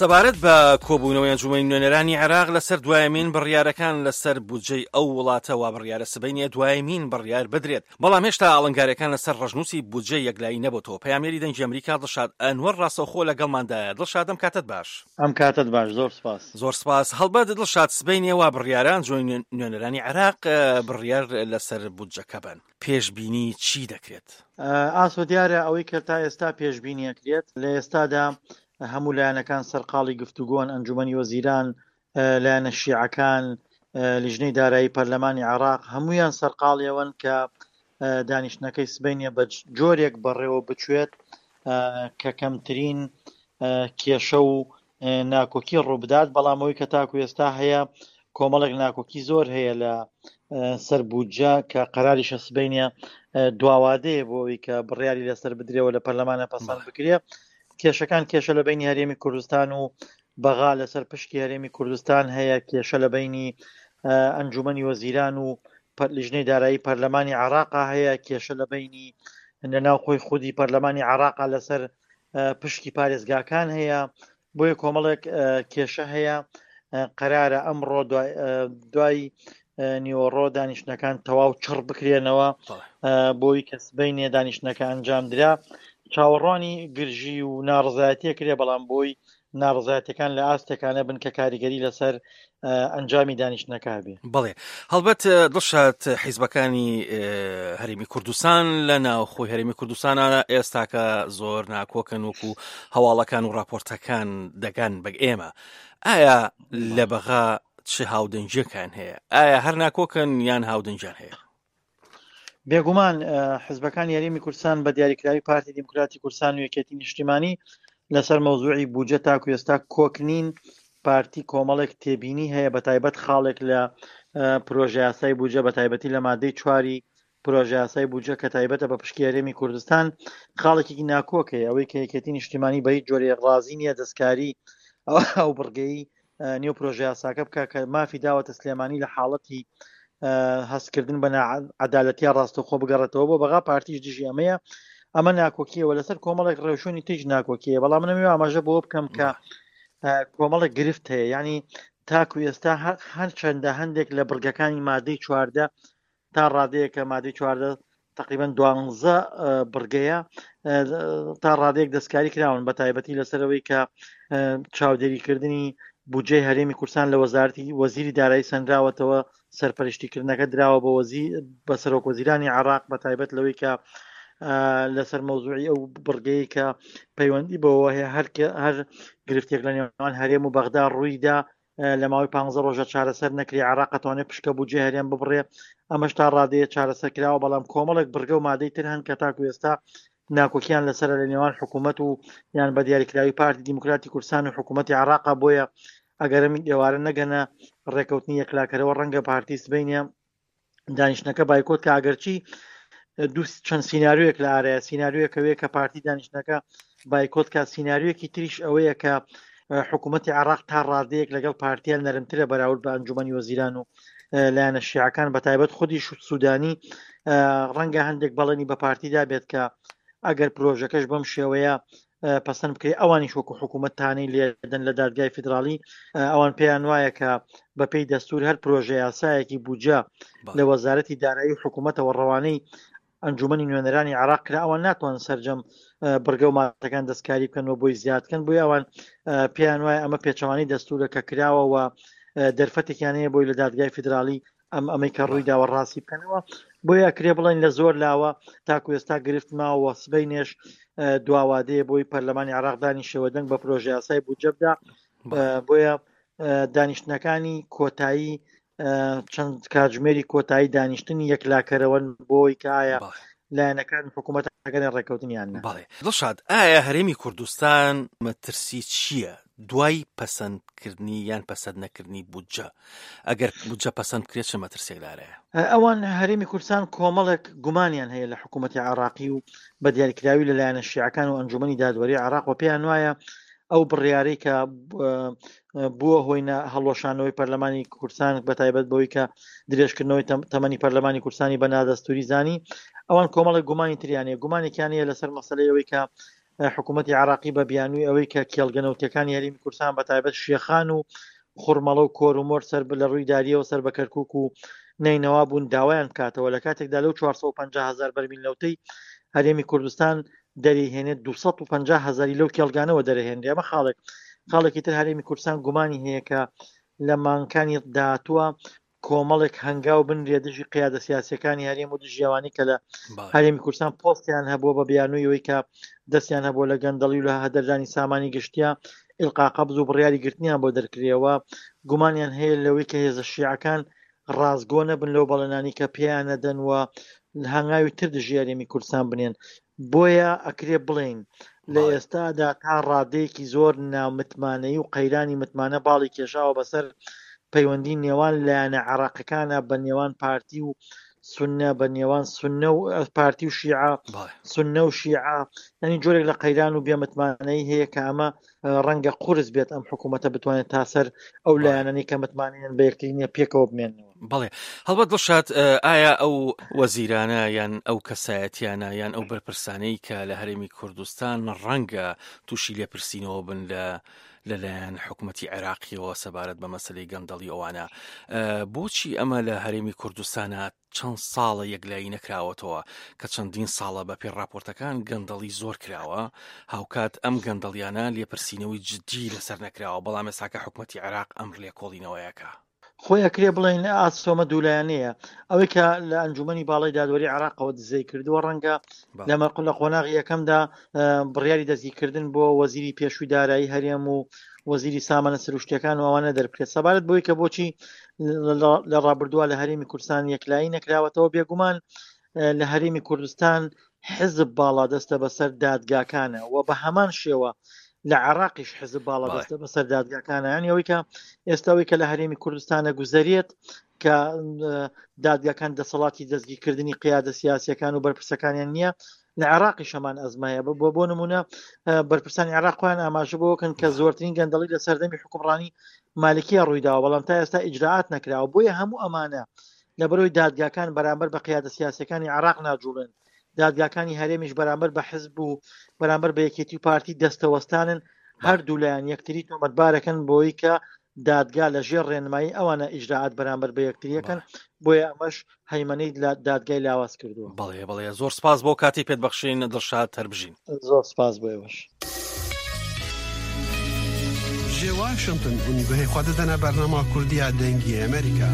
سەبارەت بە کۆبوونەوەی ئەنجومەنی نوێنەرانی عێراق لەسەر دوایەمین بڕیارەکان لەسەر بودجەی ئەو وڵاتە وا بڕیارە سبەینێ دوایەمین بڕیار بدرێت، بەڵام هێشتا ئاڵنگاریەکان لەسەر ڕەشنووسی بودجە یەکلایی نەبۆتەوە. پەیامنێری دەنگی ئەمریکا دڵشاد ئەنوەر ڕاستەوخۆ لەگەڵماندایە. دڵشاد ئەم کاتەت باش. ئەم کاتەت باش، زۆر سپاس. زۆر سپاس. هەڵبەت دڵشاد سبەینێ وا بڕیارە ئەنجومەنی نوێنەرانی عێراق بڕیار لەسەر بودجەکە بەن. پێشبینی چی دەکرێت؟ ئاسۆ دیارە ئەوەی کە تا ئێستا پێشبینی ئەکرێت لە ئێستادا هەموو لایەنەکان سەرقاڵی گفتوگۆن، ئەنجومەنی وەزیران، لایەنە شیعەکان، لیژنەی دارایی پەرلەمانی عێراق، هەموویان سەرقاڵی ئەوەن کە دانیشتنەکەی سبەینێ بە جۆرێک بەڕێوە بچێت کە کەمترین کێشە و ناکۆکی ڕووبدات، بەڵام ئەوەی کە تاکو ئێستا هەیە کۆمەڵێک ناکۆکی زۆر هەیە لە سەر بودجە کە قەراریشە سبەینێ دواوادەیە بۆ ئەوەی کە بڕیاری لەسەر بدرێەوە لە پەرلەمانە پەسەند بکرێ. کێشەکان کێشە لە بینی هەرێمی کوردستان و بەغا لەسەر پشکی هەرێمی کوردستان هەیە، کێشە لە بینی ئەنجومەنی وەزیران و لیژنەی دارایی پەرلەمانی عراقا هەیە، کێشە لە بینی لە ناو خۆی خودی پەرلەمانی عراقا لەسەر پشکی پارێزگاکان هەیە، بۆیە کۆمەڵێک کێشە هەیە. قەرارە ئەمڕۆ دوای نیوەڕۆ دانیشتنەکان تەواو چڕ بکرێنەوە بۆی کە سبەینێ دانیشتنەکە ئەنجام درا. چاوەڕوانی گرژی و ناڕزایەتیە کرێ، بەڵام بۆی ناڕزایەتەکان لە ئاستێکانە بن کە کاریگەری لەسەر ئەنجامی دانیشتنەکە بێ. بەڵێ هەڵبەت دڵشاد حیزبەکانی هەرێمی کوردستان لە ناوخۆی هەرێمی کوردستانە ئێستاکە زۆر ناکۆکن وەکو هەواڵەکان و راپۆرتەکان دەگەن بە ئێمە ئایا لە بەغا چ هاودەنگیەکان هەیە ئایا هەر ناکۆکن یان هاودەنگیان هەیە؟ بێگومان حزبەکانی هەرێمی کوردستان بە دیاریکراوی پارتی دیموکراتی کوردستان و یەکێتی نیشتیمانی لەسەر مەوزوعی بودجە تاکو ئێستا کۆک نین. پارتی کۆمەڵێک تێبینی هەیە بە تایبەت خاڵێک لە پرۆژەیاسای بودجە بە تایبەتی لە مادەی چواری پرۆژەیاسای بودجە کە تایبەتە بە پشکی هەرێمی کوردستان خاڵێکی ناکۆک هەیە ئەوەی کە یەکێتی نیشتیمانی بە هیچ جۆرێک ڕازی نییە دەستکاری ئەو بڕگەی نێو پرۆژەیاساکە بکە کە مافی داوەتە سلێمانی لە حاڵەتی هەستکردن بە عدالەتیا ڕاستەخۆ بگەڕێتەوە بۆ بەغا. پارتیش دژی ئەمەیە. ئەمە ناکۆکیەوە لەسەر کۆمەڵێک ڕێوشوێنی تیژ ناکۆکیە، بەڵام منەوێ ئاماژە بۆ بکەم کە کۆمەڵێک گرفت هەیە. یعنی تاکو ئێستا هەرچەندە هەندێک لە بڕگەکانی مادەی 14 تا ڕادەیەکە مادەی 14 تقریبا دوانزە بڕگەیە تا ڕادەیەک دەستکاری کراون بە تایبەتی لەسەرەوەی کە چاودێریکردنی بودجەی هەرێمی کوردستان لە وەزارتی وەزیری دارایی سەنراوەتەوە، سەرپەرشتیکردنەکە دراوە بە وەزی بە سەرۆک وەزیرانی عراق بە تایبەت لەوەی کە لەسەر مەوزوعی ئەو بڕگەیە کە پەیوەندی بەوە هەیە هەر هەر گرفتێک لە نێوان هەرێم و بەغدا ڕوویدا لە ماوەی پانزە ڕۆژە چارەسەر نەکرێ عێراق ئەتوانێت پشکە بودجەی هەرێم ببڕێ، ئەمەش تا ڕادەیە چارەسەر کراوە، بەڵام کۆمەڵێک بڕگە و مادەی تر هەن کە تاکو ئێستا ناکۆکیان لەسەرە لە نێوان حکوومەت و یان بە دیاریکراوی پارتی دیموکراتی کوردستان و حکوومەتی عێراقا. بۆیە ئەگەر ئەم ئێوارە نەگەنە ڕێکەوتنی یەکلاکەرەوە ڕەنگە پارتی سبەینێ دانیشتنەکە بایکۆت کە، ئەگەرچی دوو چەند سیناریۆیەک لە ئارایە. سیناریۆیەک ئەوەیە کە پارتی دانیشتنەکە بایکۆت کە، سیناریۆیەکی تریش ئەوەیە کە حکوومەتی عێراق تا ڕادەیەک لەگەڵ پارتیان نەرمترە بەراورد بە ئەنجومەنی وەزیران و لایەنە شیعەکان بە تایبەت خودی سوودانی ڕەنگە هەندێک بەڵێنی بە پارتیدا بێت کە ئەگەر پرۆژەکەش بەم شێوەیە پەسەند بکرێت ئەوانیش وەکو حکوومەت تانەی لێدەن لە دادگای فیدراڵی. ئەوان پێیان وایە کە بەپێی دەستور هەر پرۆژە یاسایەکی بودجە لە وەزارەتی دارایی و حکوومەتەوە ڕەوانەی ئەنجومەنی نوێنەرانی عراق کرا ئەوان ناتوان سەرجەم بڕگە و مادەکان دەستکاری بکەن و بۆی زیاد بکەن. بۆیە ئەوان پێیان وایە ئەمە پێچەوانەی دەستورە کە کراوە و دەرفەتێکیان هەیە بۆی لە دادگای فیدراڵی ئەم ئەمەی کە ڕووی داوە ڕاستی بکەنەوە. بۆیە ئەکرێ بڵێن لە زۆر لاوە تاکو ئێستا گرفت ماوە. سبەینێش دواوادەیە بۆی پەرلەمانی عراق دانیشەوە دەنگ بە پرۆژە یاسای بودجە بدا. بۆیە دانیشتنەکانی کۆتایی چەند کاتژمێری کۆتایی دانیشتنی یەکلاکەرەوەن بۆی کە ئایا لایەنەکان حکوومەتەکەن ڕێککەوتنیان بەڵێ دڵشاد ئایا هەرێمی کوردستان مەترسی چییە دوای پەسەندکردنی یان پەسەند نەکردنی بودجە؟ ئەگەر بودجە پەسەند بکرێت چ مەترسیەک لارەیە؟ ئەوان هەرێمی کوردستان کۆمەڵێک گومانیان هەیە لە حکوومەتی عێراقی و بە دیاریکراوی لە لایەنە شیعەکان و ئەنجومەنی دادوەری عێراق و پێیان وایە ئەو بڕیارەی کە بووە هۆی هەڵوەشانەوەی پەرلەمانی کوردستان بە تایبەت بەوەی کە درێژکردنەوەی تەمەنی پەرلەمانی کوردستانی بە نادەستوری زانی، ئەوان کۆمەڵێک گومانی تریان هەیە. گومانێکیان هەیە لەسەر مەسەلەی ئەوەی کە حکوومەتی عراقی بە بیانووی ئەوەی کە کێڵگە نەوتەکانی هەرێمی کوردستان بە تایبەت شێخان و خورمەڵە و کۆرومۆر سەر لە ڕووی داریەوە سەر بە کەرکک و نەینەوا بوون داوایان بکاتەوە لە کاتێکدا لەو 450 هزار بەرمیل نەوتەی هەرێمی کوردستان دەریهێنێت 250 هزاری لەو کێڵگانەوە دەرهێنرێ ئەمە خاڵێک خاڵێکی تر هەرێمی کوردستان گومانی هەیە کە لە مانگەکانی داهاتووە کۆمەڵێک هەنگاو بنرێ دژی قیادە سیاسەکانی هەرێم و دژی ئەوانەی کە لە هەرێمی کوردستان پۆستیان هەبووە بە بیانووی ئەوەی کە دەستیان هەبووە لە گەندەڵی و لە هەدەردانی سامانی گشتیە ئیلقا قەبز و بڕیاری گرتنیان بۆ دەرکرێەوە گومانیان هەیە لەوەی کە هێزە شیعەکان ڕاستگۆ نەبن لەو بەڵێنانی کە پێیان نەدەن و هەنگاوی تر دژی هەرێمی کوردستان بنێن بۆیە ئەکرێ بڵێین لە ئێستادا تا ڕادەیەکی زۆر نامتمانەیی و قەیرانی متمانە باڵی کێشاوە بەسەر پەیوەندی نێوان لایەنە عێراقەکانە بە نێوان پارتی و سونە بە نێوان سونە و پارتی و شیعە سونە و شیعە ینی جۆرێک لە قەیران و بێمتمانەی هەیە کە ئەمە ڕەنگە قورس بێت ئەم حکوومەتە بتوانێت تا سەر ئەو لایەنەی کە متمانەیان بە یەکتری نییە پێکەوە بمێنەوە. بەڵێ هەڵبەت دڵشاد ئایا ئەو وەزیرانە یان ئەو کەسایەتیانە یان ئەو بەرپرسانەی کە لە هەرێمی کوردستان ڕەنگە تووشی لێپرسینەوە بن لە لەلایەن حکوومەتتی عێراقیەوە سەبارەت بە مەسلەی گەندەڵی ئەوانە بۆچی ئەمە لە هەرێمی کوردستانە چەند ساڵە یەکلایی نەکراوەتەوە کە چەندین ساڵە بە پێی ڕاپۆرتەکان گەندەڵی زۆر کراوە، هاوکات ئەم گەندەڵیانە لێپرسینەوەی جدی لەسەر نەکراوە، بەڵام ئێستاکە حکومەتی عێراق ئەم لێکۆڵینەوەیەکە. خۆی ئەکرێ بڵێین ئاسۆمە دوولایەنەیە ئەوەی کە لە ئەنجومەنی باڵای دادوەری عێراقەوە دزەی کردووە ڕەنگە لە مەرقل لە قۆناغی یەکەمدا بڕیاری دەستگیرکردن بۆ وەزیری پێشووی دارایی هەرێم و وەزیری سامانە سروشتیەکان و ئەوانە دەربکرێت سەبارەت بۆی کە بۆچی لە ڕابردووە لە هەرێمی کوردستان یەکلایی نەکراوەتەوە بێگومان لە هەرێمی کوردستان حزب باڵادەستە بەسەر دادگاکانە و بە هەمان شێوە لە عراقیش حزب باڵادەستە بەسەر دادگاکانە یانی ئەوەی کە ئێستاوی کە لە هەرێمی کوردستانە گوزەرێت کە دادگاکان دەسەڵاتی دەستگیرکردنی قیادە سیاسەکان و بەرپرسەکانیان نییە لە عێراقیش هەمان ئەزمە هەیە بۆ بۆ نمونە بەرپرسانی عێراق خۆیان ئاماژە بۆکەن کە زۆرترین گەندەڵی لە سەردەمی حکومڕانی مالکیە ڕوویداوە بەڵام تا ئێستا ئیجرائات نەکراوە بۆیە هەموو ئەمانە لەبەرەوەی دادگاکان بەرامبەر بە قیادە سیاسەکانی عێراق ناجوڵێن دادگاکانی هەرێمیش بەرامبەر بە حزب و بەرامبەر بە یەکێتی و پارتی دەستەوەستانن هەردوو لایەن یەکتری تۆمەتبارەکەن بۆی کە دادگا لە ژێر ڕێنمایی ئەوانە ئیجرائات بەرامبەر بە یەکتریەکەن بۆیە ئەمەش هەیمەنەی دادگای لاواز کردووە. بەڵێ بەڵێ زۆر سپاس بۆ کاتی پێت بەخشین دڵشاد هەربژین. زۆر سپاس بۆ ئێوەش. Ji Washington hûn guhê xwe didine bernama Kurdî ya Dengê Amerîka.